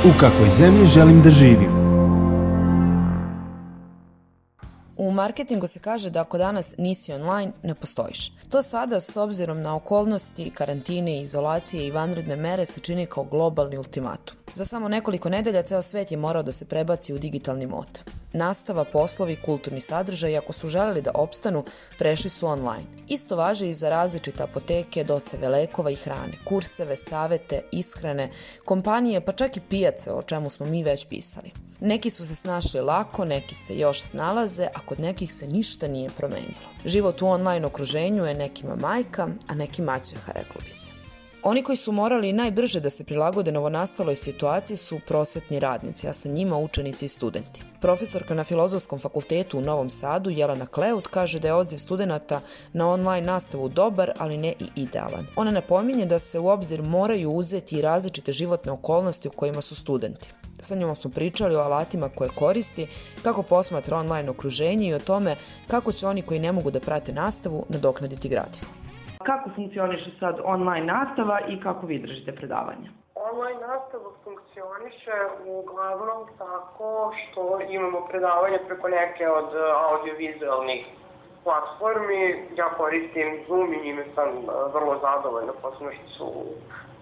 U kakvoj zemlji želim da živim? U marketingu se kaže da ako danas nisi online, ne postojiš. To sada, s obzirom na okolnosti, karantine, izolacije i vanredne mere, se čini kao globalni ultimatum. Za samo nekoliko nedelja ceo svet je morao da se prebaci u digitalni mod. Nastava, poslovi, kulturni sadržaj, ako su želeli da opstanu, prešli su online. Isto važe i za različite apoteke, dostave lekova i hrane, kurseve, savete, ishrane, kompanije, pa čak i pijace, o čemu smo mi već pisali. Neki su se snašli lako, neki se još snalaze, a kod nekih se ništa nije promenilo. Život u online okruženju je nekima majka, a neki maćeha, reklo bi se. Oni koji su morali najbrže da se prilagode novonastaloj situaciji su prosvetni radnici, a sa njima učenici i studenti. Profesorka na Filozofskom fakultetu u Novom Sadu, Jelena Kleut, kaže da je odziv studenata na online nastavu dobar, ali ne i idealan. Ona napominje da se u obzir moraju uzeti i različite životne okolnosti u kojima su studenti. Sa njom smo pričali o alatima koje koristi, kako posmatra online okruženje i o tome kako će oni koji ne mogu da prate nastavu nadoknaditi gradivo. Kako funkcioniše sad online nastava i kako vi držite predavanja? Online nastava funkcioniše uglavnom tako što imamo predavanje preko neke od audiovizualnih platformi. Ja koristim Zoom i njime sam vrlo zadovoljna, posebno što su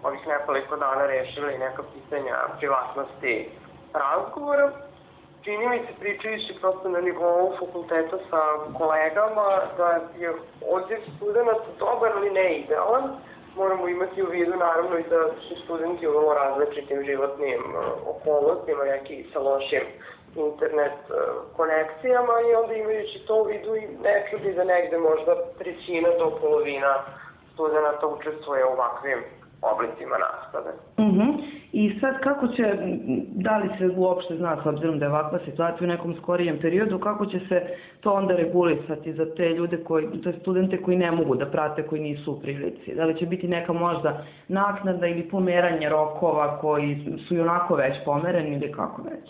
ovih nekoliko dana rešili neka pitanja privatnosti razgovora. Čini mi se, pričajući prosto na nivou fakulteta sa kolegama, da je odziv studenta dobar, ali ne idealan. Moramo imati u vidu naravno i da su studenti u vrlo različitim životnim okolnostima, neki sa lošim internet konekcijama, i onda imajući to u vidu i ne čudi da negde možda trećina do polovina studenta učestvuje u ovakvim oblicima nastave. I sad kako će, da li se uopšte zna, s obzirom da je ovakva situacija u nekom skorijem periodu, kako će se to onda regulisati za te ljude, za studente koji ne mogu da prate, koji nisu u prilici? Da li će biti neka možda naknada ili pomeranje rokova koji su i onako već pomereni ili kako već?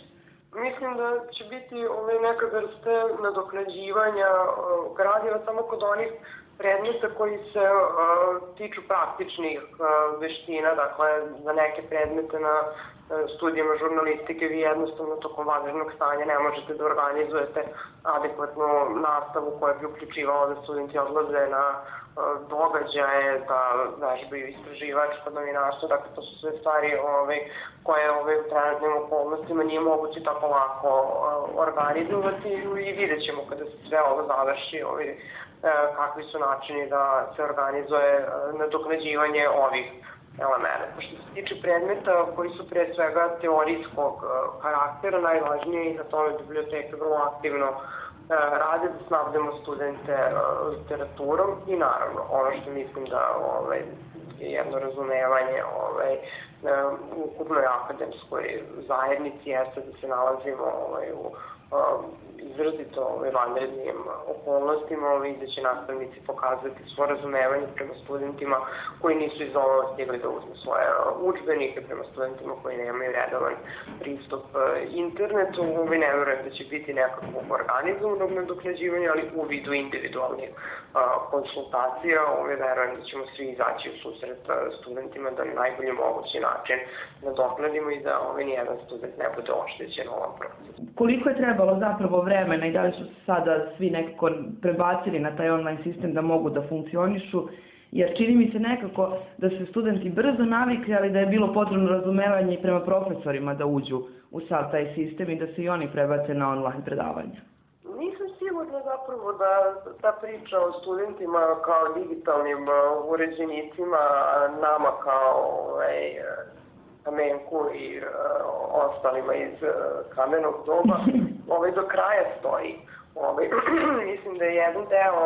Mislim da će biti neka vrste nadoknađivanja gradiva samo kod onih predmeta koji se tiču praktičnih veština, dakle za neke predmete na studijama žurnalistike vi jednostavno tokom vanrednog stanja ne možete da organizujete adekvatnu nastavu koja bi uključivala da studenti odlaze na događaje, da vežbaju istraživačko novinarstvo, dakle to su sve stvari koje u trenutnim okolnostima nije moguće tako lako organizovati i vidjet ćemo kada se sve ovo završi kakvi su načini da se organizuje nadoknađivanje ovih elementa. Što se tiče predmeta koji su pre svega teorijskog karaktera, najvažnije je i na tome biblioteke vrlo aktivno rade da snabdemo studente literaturom i naravno ono što mislim da je jedno razumevanje u ukupnoj akademskoj zajednici jeste da se nalazimo u izrazito vanrednim okolnostima i da će nastavnici pokazati svoje razumevanje prema studentima koji nisu iz ovo stigli da uzme svoje udžbenike, prema studentima koji nemaju redovan pristup internetu. Ne verujem da će biti nekakvog organizovanog nadoknađivanja, ali u vidu individualnih konsultacija. Verujem da ćemo svi izaći u susret studentima da na najbolji mogući način nadoknadimo i da nijedan student ne bude oštećen u ovom procesu. Koliko je trebalo zapravo vremena i da li su sada svi nekako prebacili na taj online sistem da mogu da funkcionišu? Jer čini mi se nekako da se studenti brzo navikli, ali da je bilo potrebno razumevanje i prema profesorima da uđu u sav taj sistem i da se i oni prebace na online predavanja. Nisam sigurna zapravo da ta priča o studentima kao digitalnim uređenicima, nama kao Kamenku i ostalima iz kamenog doba, do kraja stoji. Mislim da je jedan deo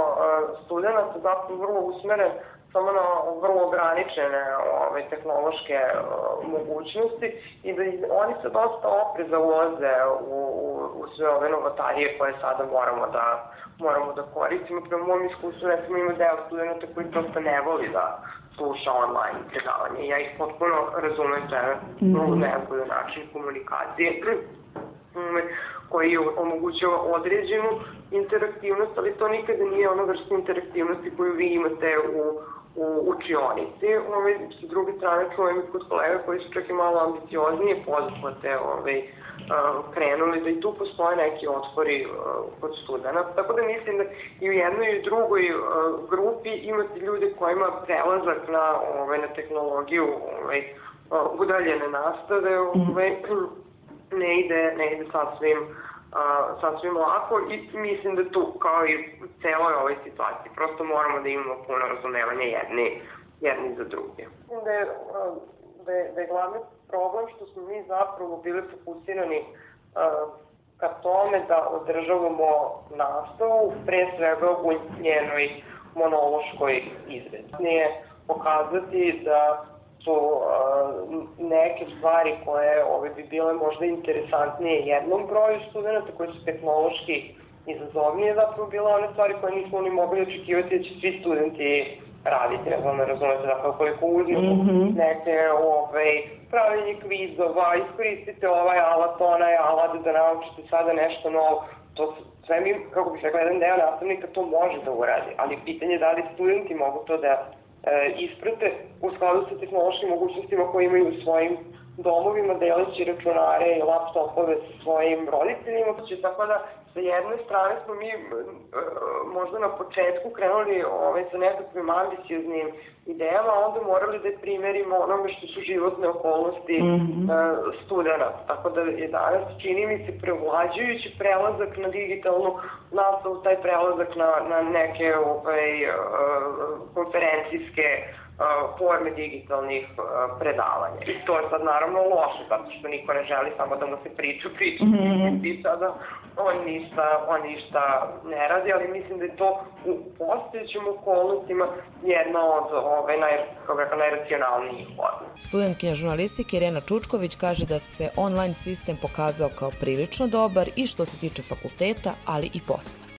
studenta zapravo vrlo usmeren samo na vrlo ograničene tehnološke mogućnosti i da oni se dosta opreza ulaze u sve ove novotarije koje sada moramo da koristimo. Prema mojom iskustvu, recimo, ima deo studenta koji prosto ne voli da sluša online predavanje. Ja ih potpuno razumem, to je vrlo najbolji način komunikacije. koji omogućava određenu interaktivnost, ali to nikada nije ona vrsta interaktivnosti koju vi imate u učionici. Sa druge strane čujem i kod kolega koji su čak i malo ambicioznije poduhvate krenuli da i tu postoje neki otpori kod studenta. Tako da mislim da i u jednoj i u drugoj grupi imate ljude kojima prelazak na tehnologiju udaljene nastave ne ide sasvim lako i mislim da tu, kao i u celoj ovoj situaciji, prosto moramo da imamo puno razumevanja jedni za druge. Mislim da je glavni problem što smo mi zapravo bili fokusirani ka tome da održavamo nastavu, pre svega u njenoj monološkoj izvedbi. Nije pokazati da su neke stvari koje bi bile možda interesantnije jednom broju studenta, koje su tehnološki izazovnije, zapravo bile one stvari koje nismo ni mogli očekivati da će svi studenti raditi. Ne znam, ne razumete, zapravo koliko uzmemo neke pravljenje kvizova, iskoristite ovaj alat, onaj alat da naučite sada nešto novo. To sve mi, kako bih rekla, jedan deo nastavnika to može da uradi, ali pitanje je da li studenti mogu to da isprate u skladu sa tehnološkim mogućnostima koje imaju u svojim domovima, deleći računare i laptopove sa svojim roditeljima. Tako da, sa jedne strane smo mi možda na početku krenuli sa nekakvim ambicioznim idejama, a onda morali da primerimo onome što su životne okolnosti studenta. Tako da je danas, čini mi se, prevlađujući prelazak na digitalnu nastavu, taj prelazak na neke konferencijske forme digitalnih predavanja. I to je sad naravno loše, zato što niko ne želi samo da mu se priča i sada on ništa ne radi, ali mislim da je to u postojećim okolnostima jedna od najracionalnijih forma. Studentkinja žurnalistike Irena Čučković kaže da se online sistem pokazao kao prilično dobar i što se tiče fakulteta, ali i posla.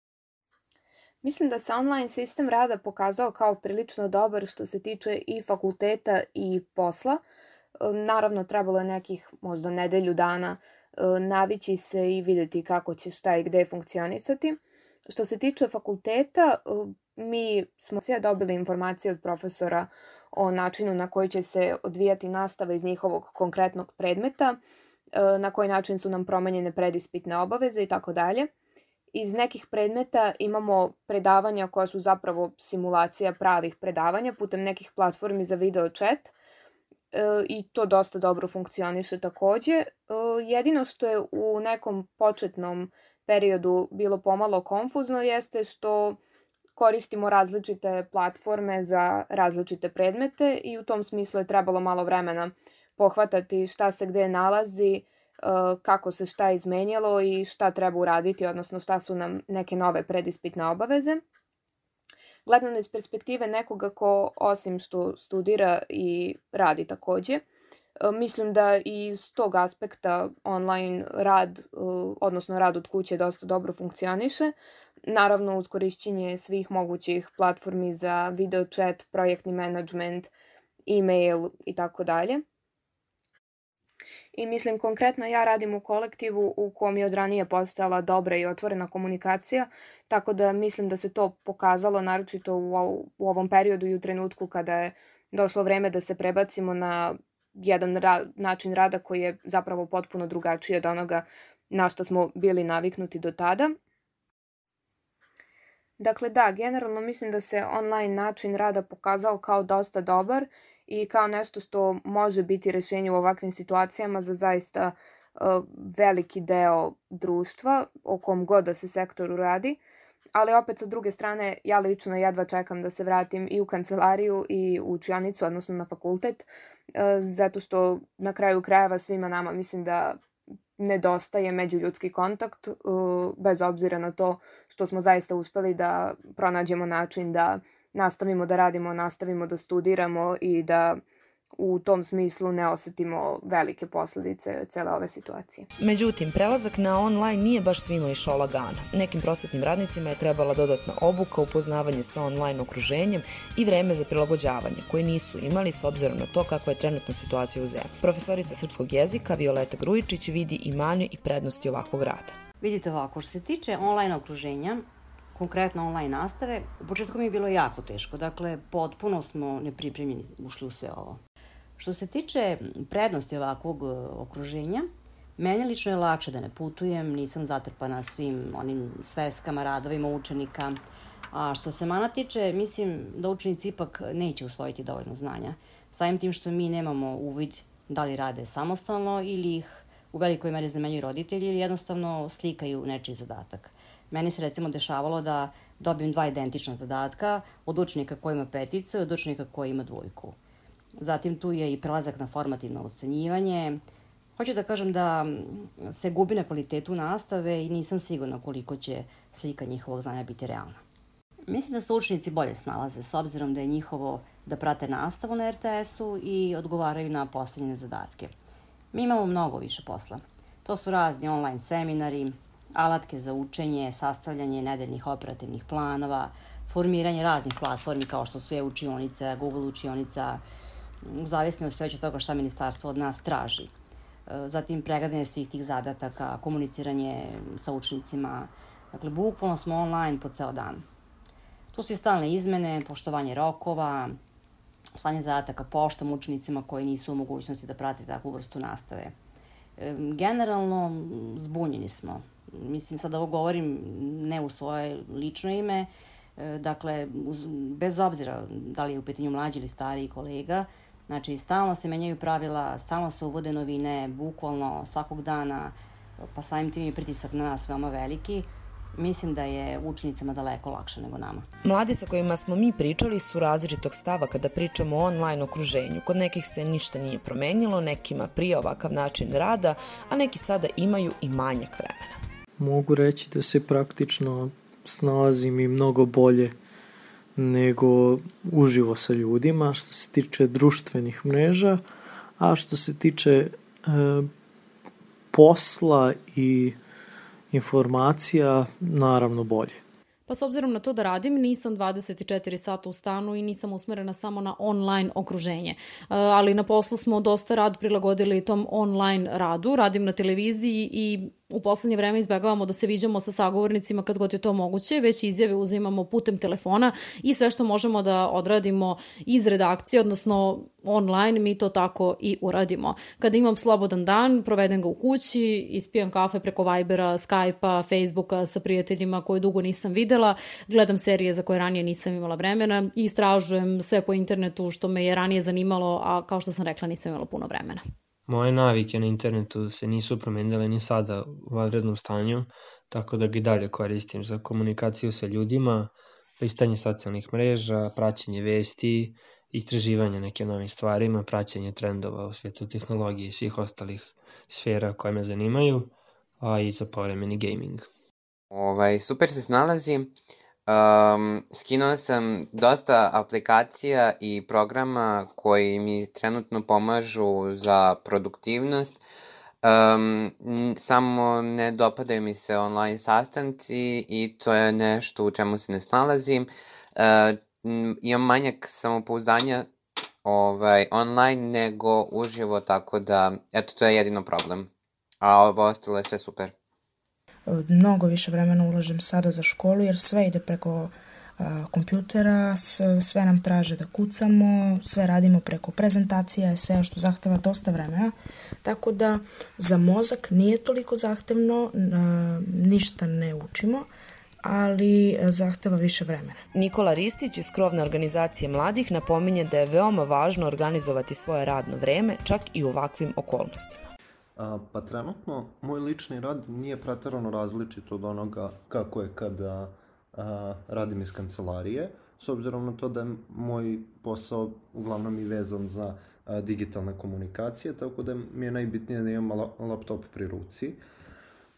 Mislim da se online sistem rada pokazao kao prilično dobar što se tiče i fakulteta i posla. Naravno, trebalo je nekih možda nedelju dana navići se i videti kako će šta i gde funkcionisati. Što se tiče fakulteta, mi smo sve dobili informacije od profesora o načinu na koji će se odvijati nastava iz njihovog konkretnog predmeta, na koji način su nam promenjene predispitne obaveze i tako dalje. Iz nekih predmeta imamo predavanja koja su zapravo simulacija pravih predavanja putem nekih platformi za video chat i to dosta dobro funkcioniše takođe. Jedino što je u nekom početnom periodu bilo pomalo konfuzno jeste što koristimo različite platforme za različite predmete i u tom smislu je trebalo malo vremena pohvatati šta se gde nalazi, kako se šta izmenjalo i šta treba uraditi, odnosno šta su nam neke nove predispitne obaveze. Gledano iz perspektive nekoga ko osim što studira i radi takođe, mislim da i iz tog aspekta online rad, odnosno rad od kuće dosta dobro funkcioniše. Naravno uz korišćenje svih mogućih platformi za video chat, projektni menadžment, e-mail i tako dalje. I mislim konkretno ja radim u kolektivu u kom je od ranije postojala dobra i otvorena komunikacija, tako da mislim da se to pokazalo naročito u ovom periodu i u trenutku kada je došlo vreme da se prebacimo na jedan način rada koji je zapravo potpuno drugačiji od onoga na što smo bili naviknuti do tada. Dakle, da, generalno mislim da se online način rada pokazao kao dosta dobar i kao nešto što može biti rešenje u ovakvim situacijama za zaista veliki deo društva, o kom god da se sektoru radi. Ali opet sa druge strane, ja lično jedva čekam da se vratim i u kancelariju i u učionicu, odnosno na fakultet, zato što na kraju krajeva svima nama mislim da nedostaje međuljudski kontakt, bez obzira na to što smo zaista uspeli da pronađemo način da nastavimo da radimo, nastavimo da studiramo i da u tom smislu ne osetimo velike posledice cele ove situacije. Međutim, prelazak na online nije baš svima išao lagano. Nekim prosvetnim radnicima je trebala dodatna obuka, upoznavanje sa online okruženjem i vreme za prilagođavanje, koje nisu imali s obzirom na to kakva je trenutna situacija u zemlji. Profesorica srpskog jezika Violeta Grujičić vidi i mane i prednosti ovakvog rada. Vidite ovako, što se tiče online okruženja, konkretno online nastave, u početku mi je bilo jako teško. Dakle, potpuno smo nepripremljeni ušli u sve ovo. Što se tiče prednosti ovakvog okruženja, meni lično je lakše da ne putujem, nisam zatrpana svim onim sveskama, radovima učenika. A što se mana tiče, mislim da učenici ipak neće usvojiti dovoljno znanja. Samim tim što mi nemamo uvid da li rade samostalno ili ih u velikoj meri zamenjuju roditelji ili jednostavno slikaju nečiji zadatak. Meni se recimo dešavalo da dobijem 2 identična zadatka od učenika koji ima 5 i od učenika koji ima 2. Zatim tu je i prelazak na formativno ocenjivanje. Hoću da kažem da se gubi na kvalitetu nastave i nisam sigurna koliko će slika njihovog znanja biti realna. Mislim da se učenici bolje snalaze s obzirom da je njihovo da prate nastavu na RTS-u i odgovaraju na postavljene zadatke. Mi imamo mnogo više posla. To su razni online seminari, alatke za učenje, sastavljanje nedeljnih operativnih planova, formiranje raznih platformi kao što su e-učionica, Google učionica, u zavisnosti od toga šta ministarstvo od nas traži. Zatim pregledanje svih tih zadataka, komuniciranje sa učenicima. Dakle, bukvalno smo online po ceo dan. Tu su i stalne izmene, poštovanje rokova, slanje zadataka poštom učenicima koji nisu u mogućnosti da prate takvu vrstu nastave. Generalno, zbunjeni smo. Mislim, sad ovo govorim ne u svoje lično ime, dakle, bez obzira da li je u pitanju mlađi ili stariji kolega, znači, stalno se menjaju pravila, stalno se uvode novine, bukvalno svakog dana, pa samim tim je pritisak na nas veoma veliki. Mislim da je učenicama daleko lakše nego nama. Mladi sa kojima smo mi pričali su različitog stava kada pričamo o online okruženju. Kod nekih se ništa nije promenilo, nekima prije ovakav način rada, a neki sada imaju i manjak vremena. Mogu reći da se praktično snalazim i mnogo bolje nego uživo sa ljudima što se tiče društvenih mreža, a što se tiče posla i informacija, naravno bolje. Pa s obzirom na to da radim, nisam 24 sata u stanu i nisam usmerena samo na online okruženje. Ali na poslu smo dosta rad prilagodili tom online radu. Radim na televiziji i u poslednje vreme izbegavamo da se viđamo sa sagovornicima kad god je to moguće, već izjave uzimamo putem telefona i sve što možemo da odradimo iz redakcije, odnosno online, mi to tako i uradimo. Kada imam slobodan dan, provedem ga u kući, ispijem kafe preko Vibera, Skype-a, Facebooka sa prijateljima koje dugo nisam videla, gledam serije za koje ranije nisam imala vremena i istražujem sve po internetu što me je ranije zanimalo, a kao što sam rekla nisam imala puno vremena. Moje navike na internetu se nisu promenile ni sada u vanrednom stanju, tako da ga i dalje koristim za komunikaciju sa ljudima, listanje socijalnih mreža, praćenje vesti, istraživanje nekim novim stvarima, praćenje trendova u svijetu tehnologije i svih ostalih sfera koje me zanimaju, a i za povremeni gaming. Super se snalazim. Skinuo sam dosta aplikacija i programa koji mi trenutno pomažu za produktivnost. Samo ne dopadaju mi se online sastanci i to je nešto u čemu se ne snalazim. Imam manjak samopouzdanja online nego uživo, tako da, eto, to je jedino problem. A ovo ostalo je sve super. Mnogo više vremena ulažem sada za školu jer sve ide preko kompjutera, sve nam traže da kucamo, sve radimo preko prezentacija, sve što zahteva dosta vremena, tako da za mozak nije toliko zahtevno, ništa ne učimo, ali zahteva više vremena. Nikola Ristić iz krovne organizacije mladih napominje da je veoma važno organizovati svoje radno vreme, čak i u ovakvim okolnostima. Pa trenutno moj lični rad nije preterano različit od onoga kako je kada radim iz kancelarije, s obzirom na to da je moj posao uglavnom i vezan za digitalne komunikacije, tako da mi je najbitnije da imam laptop pri ruci.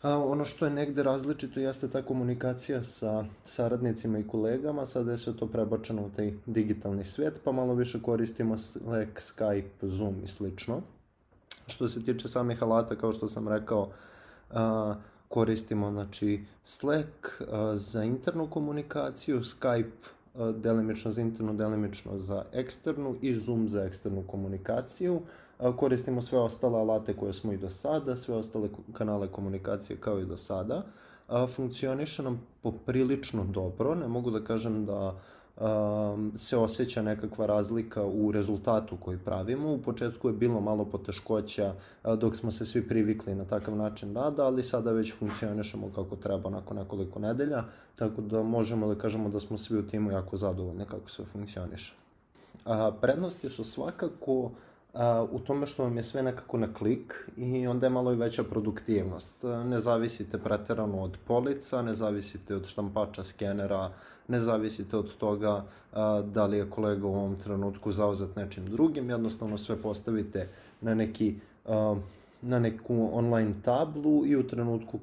Ono što je negde različito jeste ta komunikacija sa saradnicima i kolegama, sada je sve to prebačeno u taj digitalni svijet, pa malo više koristimo Slack, Skype, Zoom i slično. Što se tiče samih alata, kao što sam rekao, koristimo Slack za internu komunikaciju, Skype delimično za internu, delimično za eksternu i Zoom za eksternu komunikaciju. koristimo sve ostale alate koje smo i do sada, sve ostale kanale komunikacije kao i do sada. Funkcioniše nam poprilično dobro, ne mogu da kažem da se osjeća nekakva razlika u rezultatu koji pravimo. U početku je bilo malo poteškoća dok smo se svi privikli na takav način rada, ali sada već funkcionišemo kako treba nakon nekoliko nedelja, tako da možemo da kažemo da smo svi u timu jako zadovoljni kako sve funkcioniše. Prednosti su svakako u tome što vam je sve nekako na klik i onda je malo i veća produktivnost. Ne zavisite preterano od polica, ne zavisite od štampača, skenera, ne zavisite od toga da li je kolega u ovom trenutku zauzet nečim drugim, jednostavno sve postavite na neku online tablu i u trenutku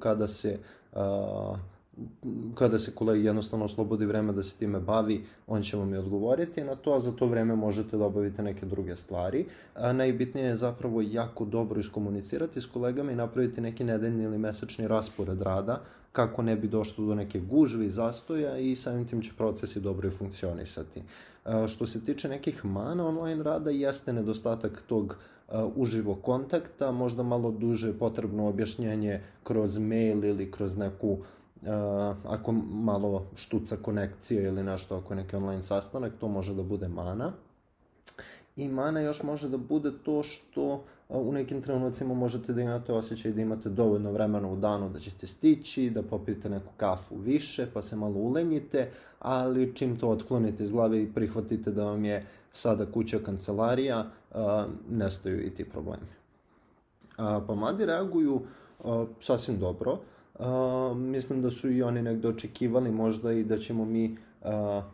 kada se kolegi jednostavno oslobodi vreme da se time bavi, on će vam i odgovoriti na to, a za to vreme možete da obavite neke druge stvari. Najbitnije je zapravo jako dobro iskomunicirati s kolegama i napraviti neki nedeljni ili mesečni raspored rada, kako ne bi došlo do neke gužve i zastoja i samim tim će procesi dobro i funkcionisati. Što se tiče nekih mana online rada, jeste nedostatak tog uživo kontakta, možda malo duže potrebno objašnjenje kroz mail ili kroz neku ako malo štuca konekcija ili nešto, ako je neki online sastanak, to može da bude mana. I mana još može da bude to što u nekim trenucima možete da imate osjećaj da imate dovoljno vremena u danu da ćete stići, da popijete neku kafu više, pa se malo ulenjite, ali čim to otklonite iz glave i prihvatite da vam je sada kuća kancelarija, nestaju i ti problemi. Pa mladi reaguju sasvim dobro. Mislim da su i oni negde očekivali možda i da ćemo mi,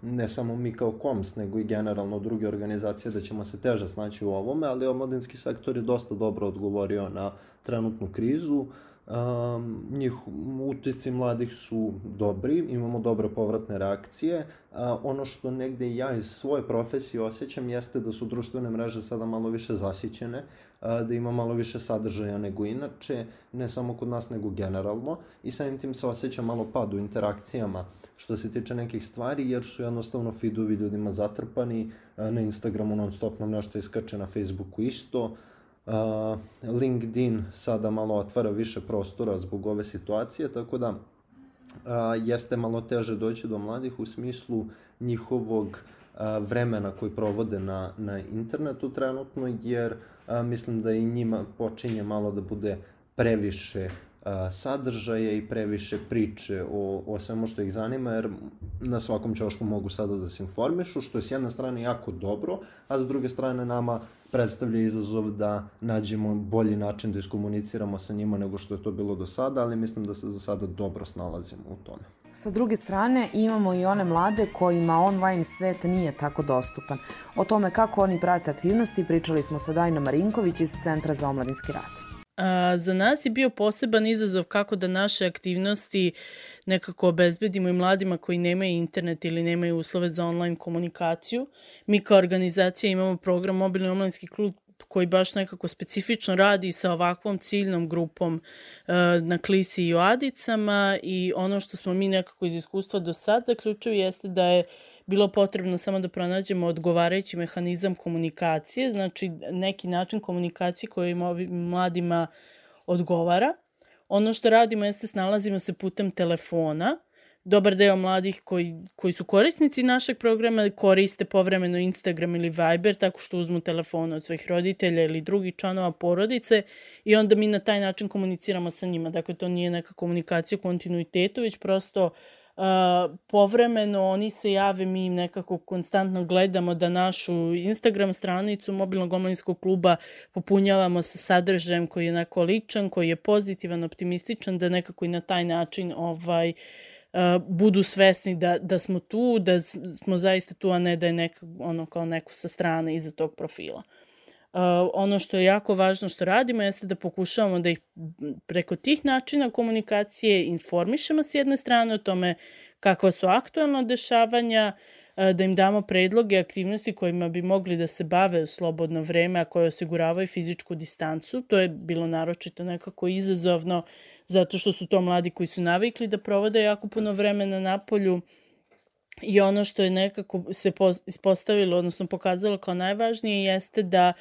ne samo mi kao KOMS, nego i generalno druge organizacije, da ćemo se teže snaći u ovome, ali omladinski sektor je dosta dobro odgovorio na trenutnu krizu. Utisci mladih su dobri, imamo dobre povratne reakcije. Ono što negde ja iz svoje profesije osjećam jeste da su društvene mreže sada malo više zasićene, da ima malo više sadržaja nego inače, ne samo kod nas nego generalno, i samim tim se osjeća malo pad u interakcijama što se tiče nekih stvari, jer su jednostavno feedovi ljudima zatrpani, na Instagramu non stop nam nešto iskače, na Facebooku isto. LinkedIn sada malo otvara više prostora zbog ove situacije, tako da jeste malo teže doći do mladih u smislu njihovog vremena koji provode na internetu trenutno, jer mislim da i njima počinje malo da bude previše sadržaja i previše priče o svemu što ih zanima, jer na svakom ćošku mogu sada da se informišu, što je s jedne strane jako dobro, a s druge strane nama predstavlja izazov da nađemo bolji način da iskomuniciramo sa njima nego što je to bilo do sada, ali mislim da se za sada dobro snalazimo u tome. Sa druge strane, imamo i one mlade kojima online svet nije tako dostupan. O tome kako oni prate aktivnosti pričali smo sa Dajnom Marinković iz Centra za omladinski rad. Za nas je bio poseban izazov kako da naše aktivnosti nekako obezbedimo i mladima koji nemaju internet ili nemaju uslove za online komunikaciju. Mi kao organizacija imamo program Mobilni omladinski klub koji baš nekako specifično radi sa ovakvom ciljnom grupom na Klisi i u Adicama, i ono što smo mi nekako iz iskustva do sad zaključili jeste da je bilo potrebno samo da pronađemo odgovarajući mehanizam komunikacije, znači neki način komunikacije koji mladima odgovara. Ono što radimo jeste snalazimo se putem telefona. Dobar deo mladih koji su korisnici našeg programa koriste povremeno Instagram ili Viber tako što uzmu telefon od svojih roditelja ili drugih članova porodice i onda mi na taj način komuniciramo sa njima. Dakle, to nije neka komunikacija u kontinuitetu, već prosto povremeno oni se jave, mi im nekako konstantno gledamo da našu Instagram stranicu Mobilnog omladinskog kluba popunjavamo sa sadržajem koji je onako ličan, koji je pozitivan, optimističan, da nekako i na taj način budu svesni da smo tu, da smo zaista tu, a ne da je kao neko sa strane iza tog profila. Ono što je jako važno što radimo jeste da pokušavamo da ih preko tih načina komunikacije informišemo s jedne strane o tome kakva su aktualna dešavanja, da im damo predloge aktivnosti kojima bi mogli da se bave u slobodno vreme, a koje osiguravaju fizičku distancu. To je bilo naročito nekako izazovno zato što su to mladi koji su navikli da provode jako puno vremena napolju. I ono što je nekako se ispostavilo, odnosno pokazalo kao najvažnije, jeste da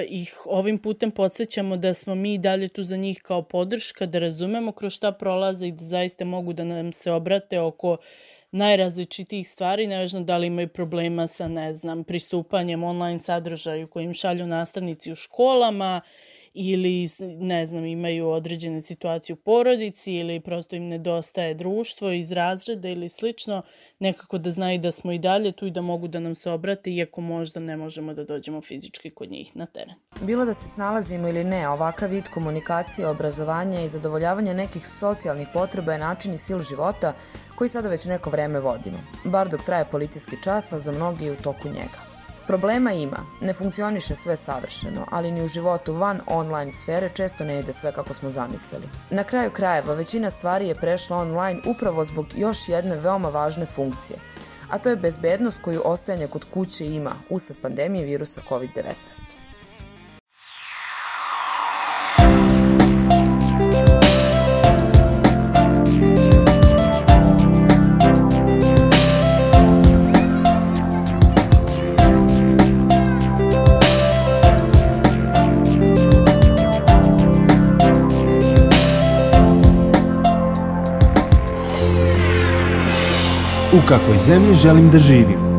ih ovim putem podsjećamo da smo mi dalje tu za njih kao podrška, da razumemo kroz šta prolaze i da zaista mogu da nam se obrate oko najrazličitijih stvari, nevažno da li imaju problema sa, pristupanjem online sadržaju kojim šalju nastavnici u školama ili, imaju određene situacije u porodici ili prosto im nedostaje društvo iz razreda ili slično, nekako da znaju da smo i dalje tu i da mogu da nam se obrate, iako možda ne možemo da dođemo fizički kod njih na teren. Bilo da se snalazimo ili ne, ovakav vid komunikacije, obrazovanja i zadovoljavanja nekih socijalnih potreba je način i stil života koji sada već neko vreme vodimo, bar dok traje policijski čas, a za mnogi u toku njega. Problema ima, ne funkcioniše sve savršeno, ali ni u životu van online sfere često ne ide sve kako smo zamislili. Na kraju krajeva, većina stvari je prešla online upravo zbog još jedne veoma važne funkcije, a to je bezbednost koju ostajanje kod kuće ima usled pandemije virusa COVID-19. U kakvoj zemlji želim da živim?